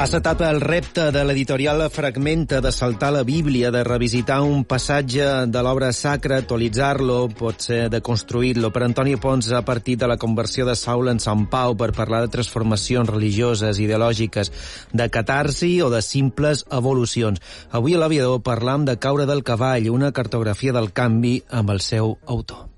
Ha acceptat el repte de l'editorial Fragmenta de saltar la Bíblia, de revisitar un passatge de l'obra sacra, actualitzar-lo, potser de construir-lo. Per Antoni Pons, a partir de la conversió de Saul en Sant Pau, per parlar de transformacions religioses, ideològiques, de catarsi o de simples evolucions. Avui a l'Aviador parlam de Caure del cavall, una cartografia del canvi amb el seu autor.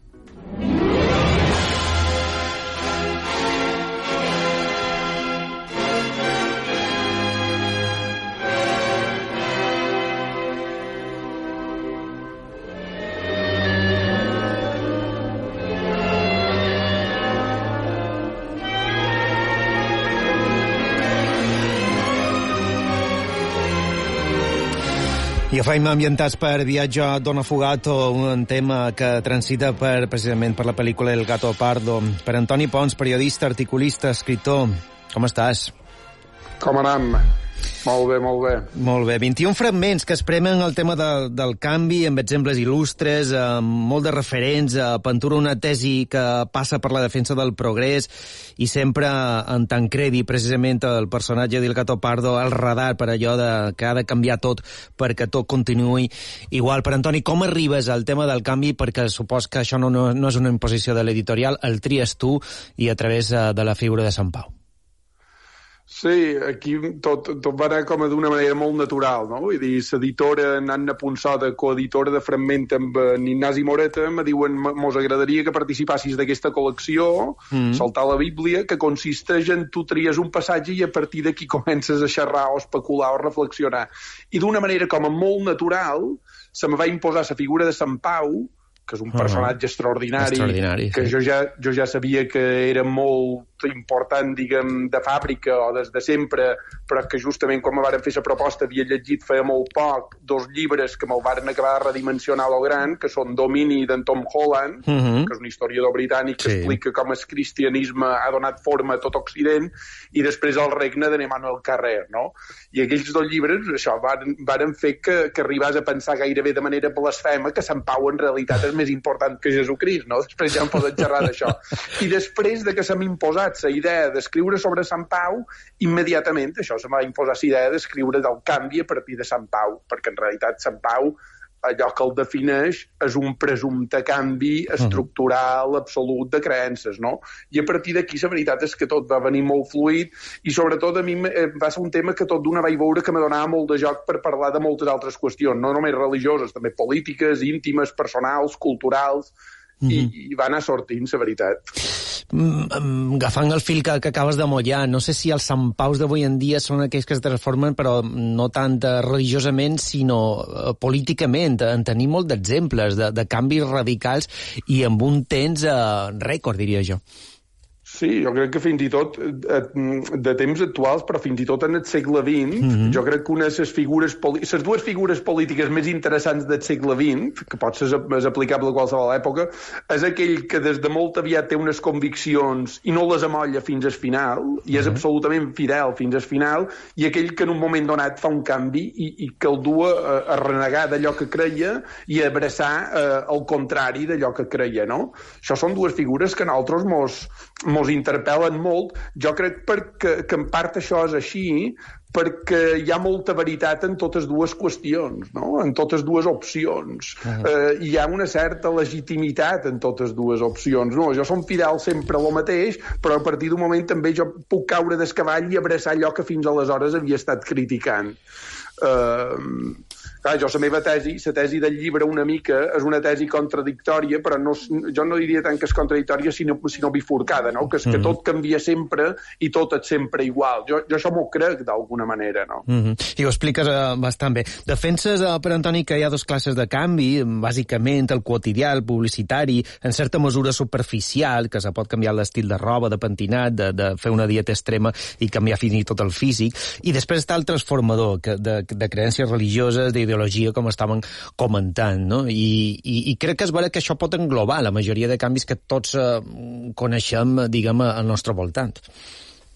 I faim ambientats per Viatge a Don Affogato, un tema que transita precisament per la pel·lícula El gato pardo. Per Antoni Pons, periodista, articulista, escriptor, com estàs? Com anem? Molt bé, molt bé. Molt bé. 21 fragments que expremen el tema del canvi amb exemples il·lustres, amb molt de referents, aventura una tesi que passa per la defensa del progrés i sempre en Tancredi, precisament el personatge del gato pardo, el radar per allò que ha de canviar tot perquè tot continuï igual. Per Antoni, com arribes al tema del canvi? Perquè supos que això no és una imposició de l'editorial, el tries tu i a través de la figura de Sant Pau. Sí, aquí tot va anar com d'una manera molt natural, no? Vull dir, l'editora Anna Punsoda, coeditora de Fragment amb Ignasi Moreta, me diuen, mos agradaria que participassis d'aquesta col·lecció, Saltar la Bíblia, que consisteix en tu tries un passatge i a partir d'aquí comences a xerrar o especular o reflexionar. I d'una manera com molt natural se me va imposar la figura de Sant Pau, que és un personatge extraordinari, que sí. jo ja sabia que era molt important, diguem, de fàbrica o des de sempre, però que justament quan me varen fer la proposta havia llegit feia molt poc 2 llibres que me'l varen acabar de redimensionar a lo gran, que són Domini d'en Tom Holland, que és un historiador britànic que explica com el cristianisme ha donat forma a tot Occident, i després El regne de Emmanuel Carrère, no? I aquells 2 llibres, això, varen fer que arribàs a pensar gairebé de manera blasfema que Sant Pau en realitat és més important que Jesucrist, no? Després ja em poden xerrar d'això. I després de que se m'ha imposat la idea d'escriure sobre Sant Pau, immediatament això se m'ha imposat la idea d'escriure del canvi a partir de Sant Pau, perquè en realitat Sant Pau, allò que el defineix és un presumpte canvi estructural absolut de creences, no? I a partir d'aquí la veritat és que tot va venir molt fluid i sobretot a mi va ser un tema que tot d'una vaig veure que me donava molt de joc per parlar de moltes altres qüestions, no només religioses, també polítiques, íntimes, personals, culturals, i va anar sortint, la veritat. Agafant el fil que acabes de mollar, no sé si els Sant Paus d'avui en dia són aquells que es transformen, però no tant religiosament, sinó políticament. En tenim molt d'exemples de canvis radicals i amb un temps rècord, diria jo. Sí, jo crec que fins i tot de temps actuals, però fins i tot en el segle XX, jo crec que una de les dues figures polítiques més interessants del segle XX, que pot ser aplicable a qualsevol època, és aquell que des de molt aviat té unes conviccions i no les amolla fins al final, i és absolutament fidel fins al final, i aquell que en un moment donat fa un canvi i que el du a renegar d'allò que creia i a abraçar el contrari d'allò que creia, no? Això són dues figures que a nosaltres mos interpel·len molt. Jo crec que en part això és així perquè hi ha molta veritat en totes dues qüestions, no? En totes dues opcions. Hi ha una certa legitimitat en totes dues opcions. No, jo som fidel sempre a lo mateix, però a partir d'un moment també jo puc caure del cavall i abraçar allò que fins aleshores havia estat criticant. Clar, jo la meva tesi, la tesi del llibre una mica és una tesi contradictòria, però jo no diria tant que és contradictòria sinó bifurcada, no? Que és que tot canvia sempre i tot és sempre igual. Jo això m'ho crec d'alguna manera, no? I ho expliques bastant bé. Defenses, per Antoni, que hi ha 2 classes de canvi, bàsicament el quotidià, el publicitari, en certa mesura superficial, que se pot canviar l'estil de roba, de pentinat, de fer una dieta extrema i canviar fins i tot el físic, i després està el transformador, de creences religioses, d'ideologia, com estàvem comentant, no? I crec que és vera que això pot englobar la majoria de canvis que tots coneixem, diguem, al nostre voltant.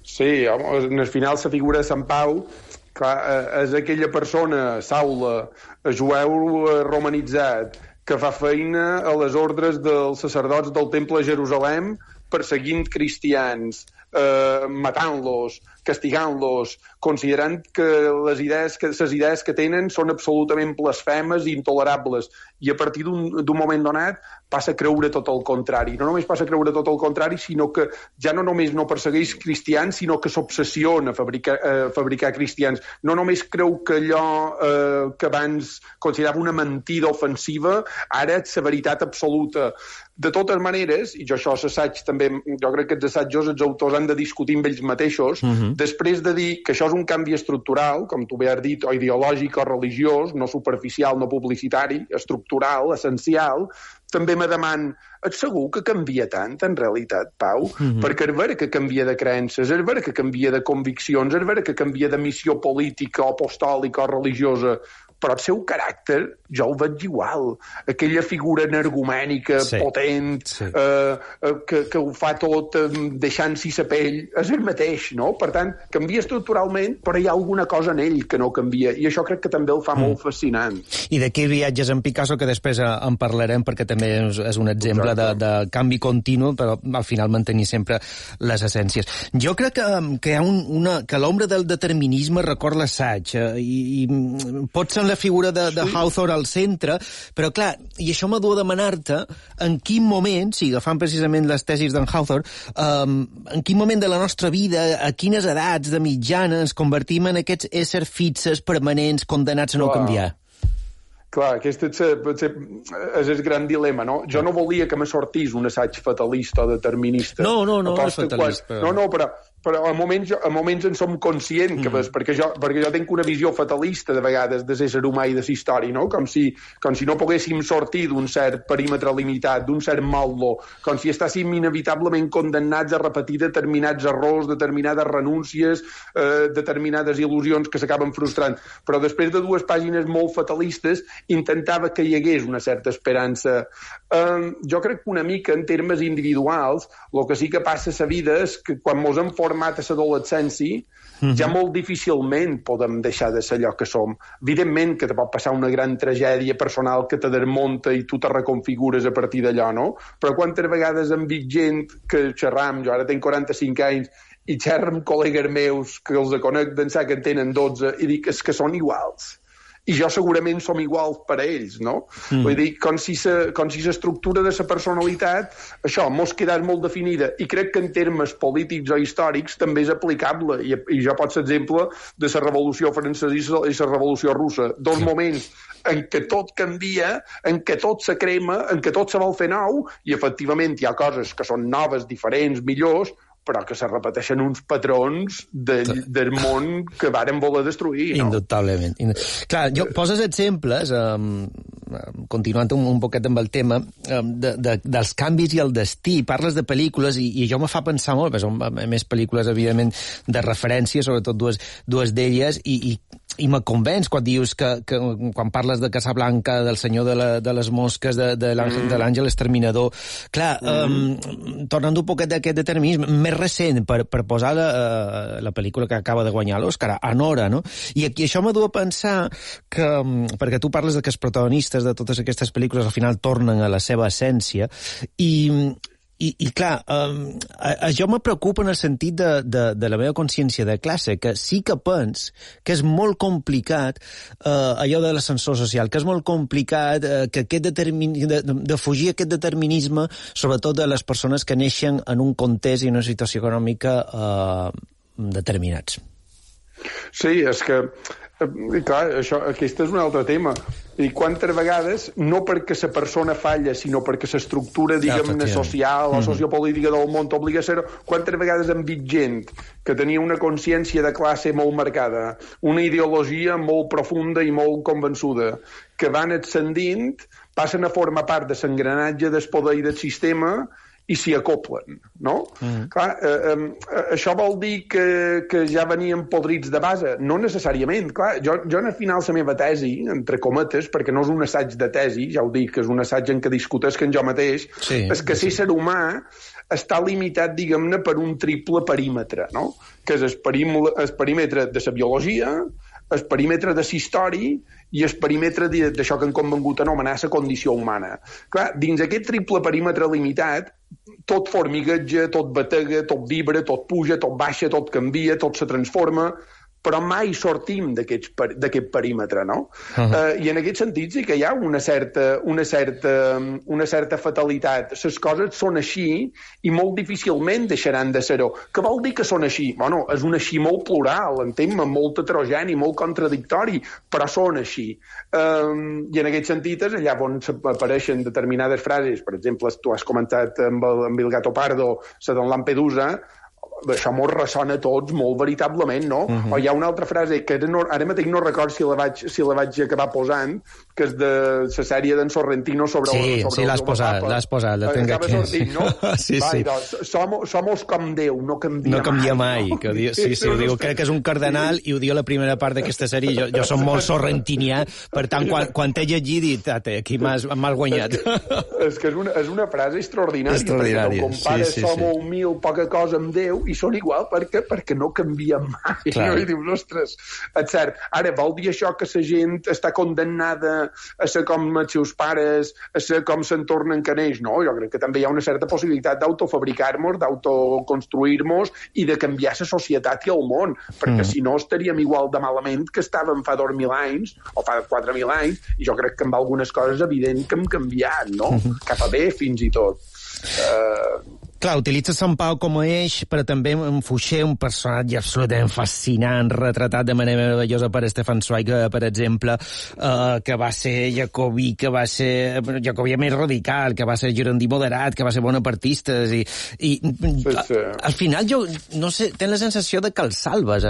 Sí, home, al final la figura de Sant Pau, clar, és aquella persona, Saula, jueu romanitzat, que fa feina a les ordres dels sacerdots del Temple de Jerusalem perseguint cristians, matant-los, castigant-los, considerant que les idees que tenen són absolutament blasfemes i intolerables, i a partir d'un moment donat passa a creure tot el contrari. No només passa a creure tot el contrari, sinó que ja no només no persegueix cristians, sinó que s'obsessiona a fabricar cristians. No només creu que allò que abans considerava una mentida ofensiva, ara és la veritat absoluta. De totes maneres, i jo això s'assaig també, jo crec que els assajos els autors han de discutir amb ells mateixos, després de dir que això és un canvi estructural, com tu bé has dit, o ideològic o religiós, no superficial, no publicitari, estructural, essencial, també me deman, ets segur que canvia tant, en realitat, Pau? Perquè és vera que canvia de creences, és vera que canvia de conviccions, és vera que canvia de missió política o apostòlica o religiosa, però el seu caràcter jo el veig igual. Aquella figura energumènica, potent, que ho fa tot deixant-s'hi la pell, és el mateix, no? Per tant, canvia estructuralment, però hi ha alguna cosa en ell que no canvia, i això crec que també el fa molt fascinant. I d'aquí viatges en Picasso, que després en parlarem, perquè també és un exemple de canvi continu, però al final mantenir sempre les essències. Jo crec que hi ha que l'ombra del determinisme recorda l'assaig, i pot ser la figura de Hawthorne al centre, però clar, i això m'ha dut a demanar-te en quin moment, si agafant precisament les tesis d'en Hawthorne, en quin moment de la nostra vida, a quines edats de mitjana ens convertim en aquests éssers fixes, permanents, condemnats a no canviar? Clar, aquest és el gran dilema, no? Jo no volia que me sortís un assaig fatalista o determinista. No és fatalista. Però a moments en som conscients, perquè jo tinc una visió fatalista de vegades de l'ésser humà i de la història, no? Com si no poguéssim sortir d'un cert perímetre limitat, d'un cert maldo, com si estàssim inevitablement condemnats a repetir determinats errors, determinades renúncies, determinades il·lusions que s'acaben frustrant. Però després de 2 pàgines molt fatalistes intentava que hi hagués una certa esperança. Jo crec que una mica en termes individuals el que sí que passa a la vida és que quan mos hem format a l'adolescència, ja molt difícilment podem deixar de ser allò que som. Evidentment que te pot passar una gran tragèdia personal que te desmunta i tu te reconfigures a partir d'allò, no? Però quantes vegades hem vist gent que xerram, jo ara tinc 45 anys, i xerro amb col·legues meus que els conec d'ençà que en tenen 12 i dic és que són iguals. I jo segurament som iguals per a ells, no? Vull dir, com si l'estructura de la personalitat, això, mos quedés molt definida, i crec que en termes polítics o històrics també és aplicable, i jo pot ser exemple de la Revolució Francesa i la Revolució Russa, 2 moments en què tot canvia, en què tot se crema, en què tot se vol fer nou, i efectivament hi ha coses que són noves, diferents, millors, però que se repeteixen uns patrons del món que varen voler destruir, no? Indubtablement. Clar, poses exemples, continuant un poquet amb el tema, dels canvis i el destí. Parles de pel·lícules i això me fa pensar molt, perquè són més pel·lícules, evidentment, de referència, sobretot dues d'elles, i me convenç quan dius que quan parles de Casablanca, del Senyor de les Mosques, de l'Àngel Exterminador. Clar, tornant un poquet d'aquest determinisme, més recent, per posar la pel·lícula que acaba de guanyar l'Òscar, Anora, no? I això m'ha dut a pensar que, perquè tu parles que els protagonistes de totes aquestes pel·lícules al final tornen a la seva essència, i clar, això me preocupa en el sentit de la meva consciència de classe, que sí que pens que és molt complicat allò de l'ascensor social, que és molt complicat que de fugir aquest determinisme, sobretot de les persones que neixen en un context i una situació econòmica determinats. Sí, és que clar, aquest és un altre tema. I quantes vegades, no perquè la persona falla, sinó perquè l'estructura, diguem-ne, social o sociopolítica del món t'obliga a ser-ho, quantes vegades hem vist gent que tenia una consciència de classe molt marcada, una ideologia molt profunda i molt convençuda, que van ascendint, passen a formar part de l'engranatge del poder i del sistema i s'hi acoplen, no? Clar, això vol dir que ja venien podrits de base? No necessàriament. Clar, jo al final la meva tesi, entre cometes, perquè no és un assaig de tesi, ja ho dic, que és un assaig en què discutesc en jo mateix, és que ser humà està limitat, diguem-ne, per un triple perímetre, no? Que és el perímetre de la biologia, el perímetre de l'història i el perímetre d'això que han convengut anomenar la condició humana. Clar, dins aquest triple perímetre limitat, tot formigueja, tot batega, tot vibra, tot puja, tot baixa, tot canvia, tot se transforma, però mai sortim d'aquest perímetre, no? I en aquest sentit sí que hi ha una certa fatalitat. Les coses són així i molt difícilment deixaran de ser-ho. Què vol dir que són així? Bueno, és un així molt plural, entenc-me, molt heterogeni, molt contradictori, però són així. I en aquest sentit és allà on apareixen determinades frases, per exemple, tu has comentat amb el Gato Pardo, la d'en Lampedusa, això mos ressona a tots molt veritablement, no? O hi ha una altra frase que ara mateix no recordo si la vaig acabar posant, que és de la sèrie d'en Sorrentino sobre sí, l'has posat, la tinc aquí. Sortint, no? Sí. Somos com Déu, no canvia mai. Sí, ho diu, crec que és un cardenal i ho diu a la primera part d'aquesta sèrie. Jo som molt sorrentinià, per tant, quan t'he llegit, he dit, aquí m'has guanyat. És que és una frase extraordinària, perquè no compares somos humil, poca cosa amb Déu, i són igual perquè no canvien mai. No? I dius, ostres, és cert. Ara, vol dir això que la gent està condemnada a ser com els seus pares, a ser com s'entornen que neix? No, jo crec que també hi ha una certa possibilitat d'autofabricar-nos, d'autoconstruir-nos i de canviar la societat i el món, perquè si no estaríem igual de malament que estàvem fa 2.000 anys o fa 4.000 anys, i jo crec que amb algunes coses evident que hem canviat, no? Cap a bé, fins i tot. Clar, utilitza Sant Pau com a eix, però també en Fouché, un personatge absolutament fascinant, retratat de manera meravellosa per Stefan Zweig, per exemple, que va ser jacobí, que va ser jacobí més radical, que va ser girondí moderat, que va ser bonapartista, i al final jo, no sé, tens la sensació de que el salves,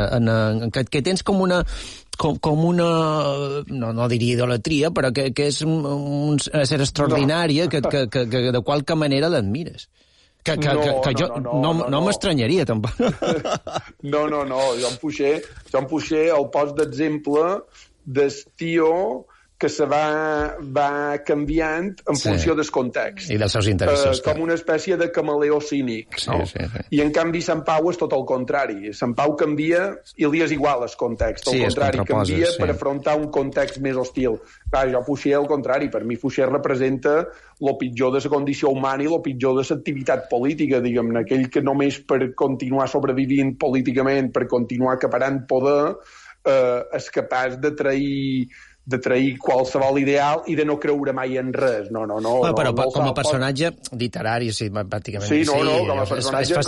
que tens com una no diria idolatria, però que és un ser extraordinari, que de qualque manera l'admires. Que no m'estranyaria, tampoc. No, jo em Fouché el post d'exemple del tio que se va canviant en funció del context. I dels seus interessos. Com una espècie de camaleó cínic. No? Sí. I en canvi Sant Pau és tot el contrari. Sant Pau canvia i li és igual el context. Al contrari, canvia per afrontar un context més hostil. Clar, jo Fouché al contrari. Per mi Fouché representa el pitjor de la condició humana i el pitjor de l'activitat política, diguem-ne. Aquell que només per continuar sobrevivint políticament, per continuar acaparant poder, és capaç de trair qualsevol ideal i de no creure mai en res. No, però com a personatge literari, sí, pràcticament. Sí, com a personatge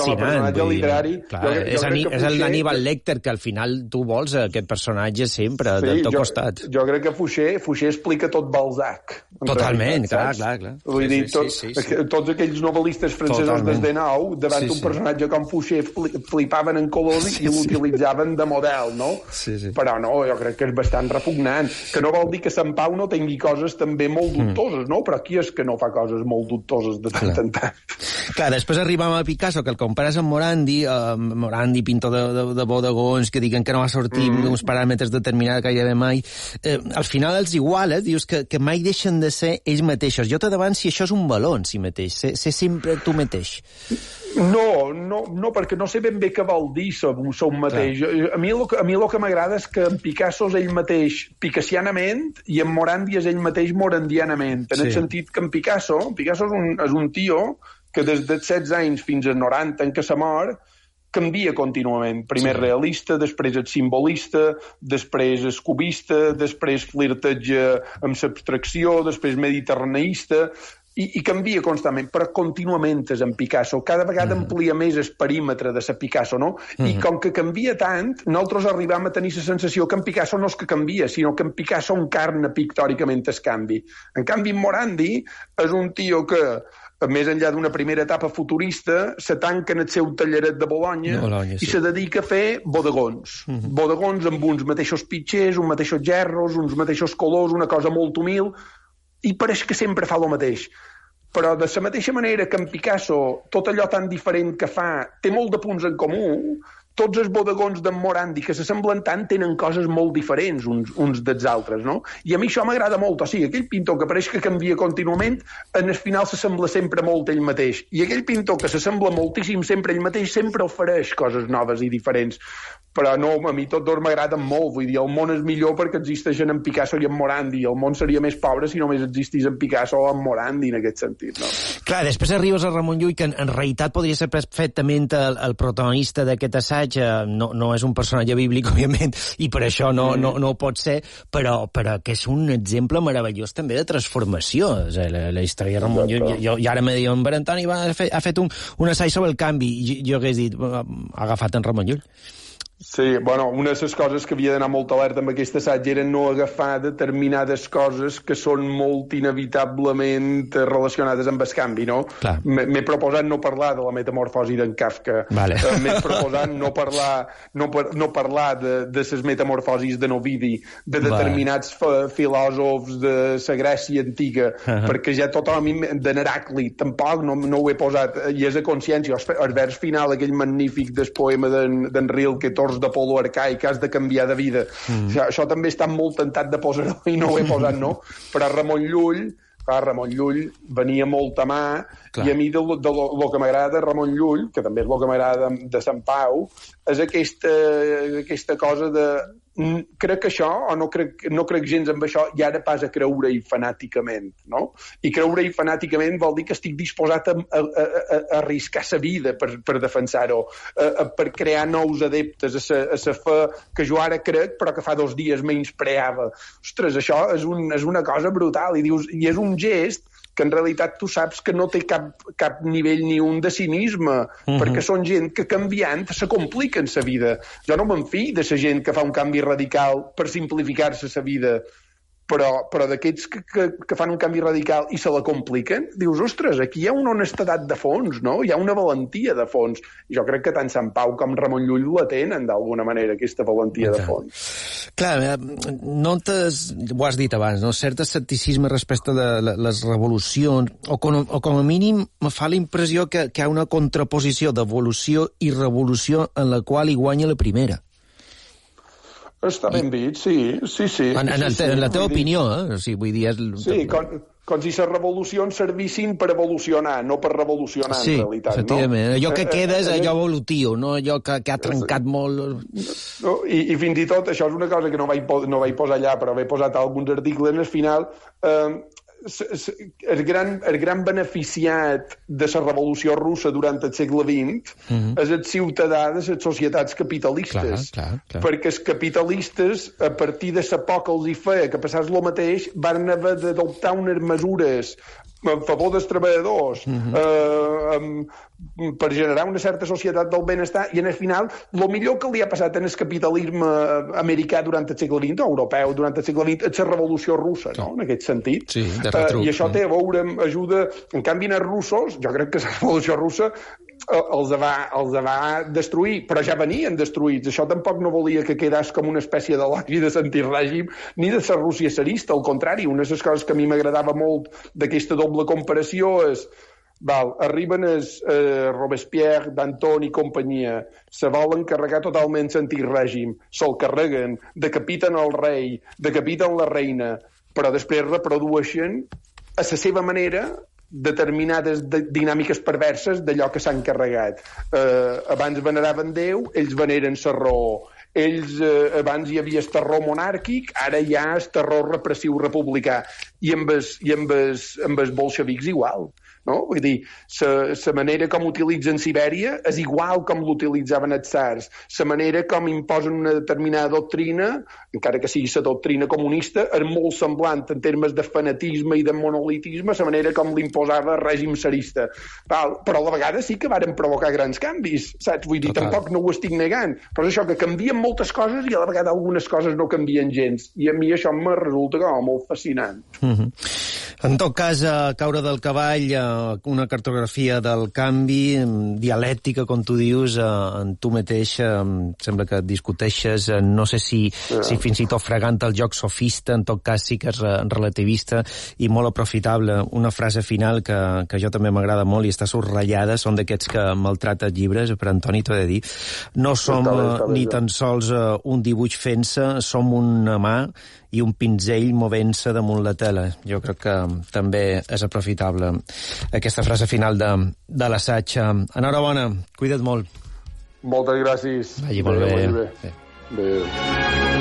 literari. Clar, és l'Aníbal Lecter, que al final tu vols aquest personatge sempre, del teu costat. Jo crec que Fouché explica tot Balzac. Totalment, clar. Vull dir, tots aquells novel·listes francesos des de nou, davant un personatge com Fouché, flipaven en colors i l'utilitzaven de model, no? Però no, jo crec que és bastant repugnant. Que no vol dir que Sant Pau no tingui coses també molt dubtoses, no? Però qui és que no fa coses molt dubtoses de tant en tant? Clar, després arribam a Picasso, que el compares amb Morandi, pintor de bodegons, que diguen que no va sortir d'uns paràmetres determinats gairebé mai. Al final els iguales, dius que mai deixen de ser ells mateixos. Jo te davant si això és un valor en si mateix, ser sempre tu mateix. No, perquè no sé ben bé què vol dir ser un mateix. A mi el que m'agrada és que en Picasso és ell mateix picassianament i en Morandi és ell mateix morandianament. En el sentit que en Picasso és un tio que des dels 16 anys fins als 90 en què se mor canvia contínuament. Primer realista, després és simbolista, després és cubista, després flirteja amb l'abstracció, després mediterraneista, i canvia constantment, però contínuament és en Picasso. Cada vegada amplia més el perímetre de la Picasso, no? I com que canvia tant, nosaltres arribam a tenir la sensació que en Picasso no és que canvia, sinó que en Picasso encarna pictòricament el canvi. En canvi, Morandi és un tio que, més enllà d'una primera etapa futurista, se tanca en el seu talleret de Bologna i se dedica a fer bodegons. Bodegons amb uns mateixos pitxers, uns mateixos gerros, uns mateixos colors, una cosa molt humil, i pareix que sempre fa el mateix. Però de la mateixa manera que en Picasso tot allò tan diferent que fa té molt de punts en comú, tots els bodegons d'en Morandi que s'assemblen tant tenen coses molt diferents uns dels altres, no? I a mi això m'agrada molt. O sigui, aquell pintor que pareix que canvia contínuament, en el final s'assembla sempre molt ell mateix. I aquell pintor que s'assembla moltíssim sempre ell mateix sempre ofereix coses noves i diferents. però no, a mi tots dos m'agraden molt, vull dir, el món és millor perquè existeixen en Picasso i en Morandi, el món seria més pobre si només existís en Picasso o en Morandi, en aquest sentit, no? Clar, després arribes a Ramon Llull, que en realitat podria ser perfectament el protagonista d'aquest assaig, no és un personatge bíblic, òbviament, i per això no ho pot ser, però que és un exemple meravellós també de transformació, la història de Ramon Llull. Jo ara me diuen, Antoni ha fet un assaig sobre el canvi, i jo hagués dit, ha agafat en Ramon Llull. Sí, bueno, una de les coses que havia d'anar molt alerta amb aquest assaig era no agafar determinades coses que són molt inevitablement relacionades amb el canvi, no? M'he proposat no parlar de la metamorfosi d'en Kafka. Vale. M'he proposat no parlar de les metamorfosis de Ovidi, de determinats filòsofs de la Grècia antiga, perquè ja tothom, de Heràclit, tampoc no ho he posat, i és a consciència. El vers final, aquell magnífic del poema d'en Rilke, d'Apolo arcaic, has de canviar de vida. Això també està molt tentat de posar-ho i no ho he posat, no? Però Ramon Llull venia molt a mà. Clar. I a mi el que m'agrada de Ramon Llull, que també és el que m'agrada de Sant Pau, és aquesta cosa de crec això, o no crec gens amb això, i ara pas a creure-hi fanàticament, no? I creure-hi fanàticament vol dir que estic disposat a arriscar sa vida per defensar-ho, per crear nous adeptes a sa fe que jo ara crec, però que fa 2 dies menyspreava. Ostres, això és una cosa brutal, i és un gest que en realitat tu saps que no té cap nivell ni un de cinisme, perquè són gent que canviant se compliquen sa vida. Jo no m'enfio de sa gent que fa un canvi radical per simplificar-se sa vida, però d'aquests que fan un canvi radical i se la compliquen, dius, ostres, aquí hi ha una honestedat de fons, no? Hi ha una valentia de fons. I jo crec que tant Sant Pau com Ramon Llull la tenen, d'alguna manera, aquesta valentia de fons. Clar, notes, ho has dit abans, no? Cert escepticisme respecte de les revolucions, o com a mínim me fa la impressió que hi ha una contraposició d'evolució i revolució en la qual hi guanya la primera. Està ben dit, sí. En la teva opinió, eh? O sigui, vull dir... Sí, com si les revolucions servissin per evolucionar, no per revolucionar, en realitat. Sí, efectivament. Allò que queda és allò evolutiu, no allò que ha trencat molt... No, i fins i tot, això és una cosa que no vaig posar allà, però he posat alguns articles al final... El gran beneficiat de la revolució russa durant el segle XX és el ciutadà de les societats capitalistes. Clar. Perquè els capitalistes, a partir de la por que els hi feia que passés el mateix, van haver d'adoptar unes mesures en favor dels treballadors, per generar una certa societat del benestar, i en el final el millor que li ha passat en el capitalisme americà durant el segle XX, o europeu durant el segle XX, és la revolució russa, no? En aquest sentit. Sí, de retruc. I això té a veure amb ajuda... En canvi, els russos, jo crec que la revolució russa els va destruir, però ja venien destruïts. Això tampoc no volia que quedés com una espècie d'elogi de l'antirègim ni de la Rússia tsarista. Al contrari, una de les coses que a mi m'agradava molt d'aquesta doble comparació és arriben Robespierre, Danton i companyia, se volen carregar totalment l'antirègim, se'l carreguen, decapiten el rei, decapiten la reina, però després reprodueixen a la seva manera determinades dinàmiques perverses d'allò que s'han carregat. Abans veneraven Déu, ells veneren la raó. Abans hi havia el terror monàrquic, ara hi ha el terror repressiu republicà. I amb els bolxevics igual. No? Vull dir, la manera com utilitzen Sibèria és igual com l'utilitzaven els tsars. La manera com imposen una determinada doctrina, encara que sigui la doctrina comunista, és molt semblant en termes de fanatisme i de monolitisme a la manera com l'imposava el règim tsarista. Però a la vegada sí que varen provocar grans canvis, saps? Vull dir, tampoc no ho estic negant. Però és això, que canvien moltes coses i a la vegada algunes coses no canvien gens. I a mi això me resulta com molt fascinant. En tot cas, caure del cavall, una cartografia del canvi, dialèctica, com tu dius, en tu mateix, sembla que discuteixes, no sé si fins i tot fregant el joc sofista, en tot cas sí que és relativista i molt aprofitable. Una frase final que jo també m'agrada molt i està subratllada, són d'aquests que maltrata llibres, per Antoni t'ho he de dir. No som ni tan sols un dibuix fent-se, som una mà i un pinzell movent-se damunt la tela. Jo crec que també és aprofitable aquesta frase final de l'assaig. Enhorabona, cuida't molt. Moltes gràcies. Vagi molt bé. Bé.